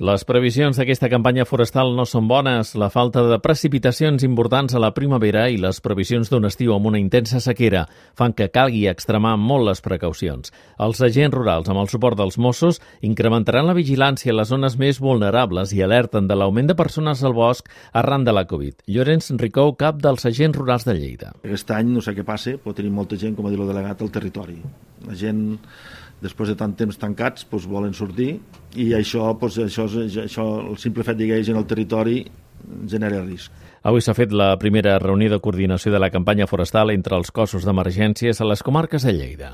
Les previsions d'aquesta campanya forestal no són bones. La falta de precipitacions importants a la primavera i les previsions d'un estiu amb una intensa sequera fan que calgui extremar molt les precaucions. Els agents rurals, amb el suport dels Mossos, incrementaran la vigilància a les zones més vulnerables i alerten de l'augment de persones al bosc arran de la Covid. Llorenç Ricou, cap dels agents rurals de Lleida. Aquest any, no sé què passa, però tenim molta gent, com ha dit el delegat, al territori. La gent, després de tant temps tancats, volen sortir i això, el simple fet d'haver gent al territori genera risc. Avui s'ha fet la primera reunió de coordinació de la campanya forestal entre els cossos d'emergències a les comarques de Lleida.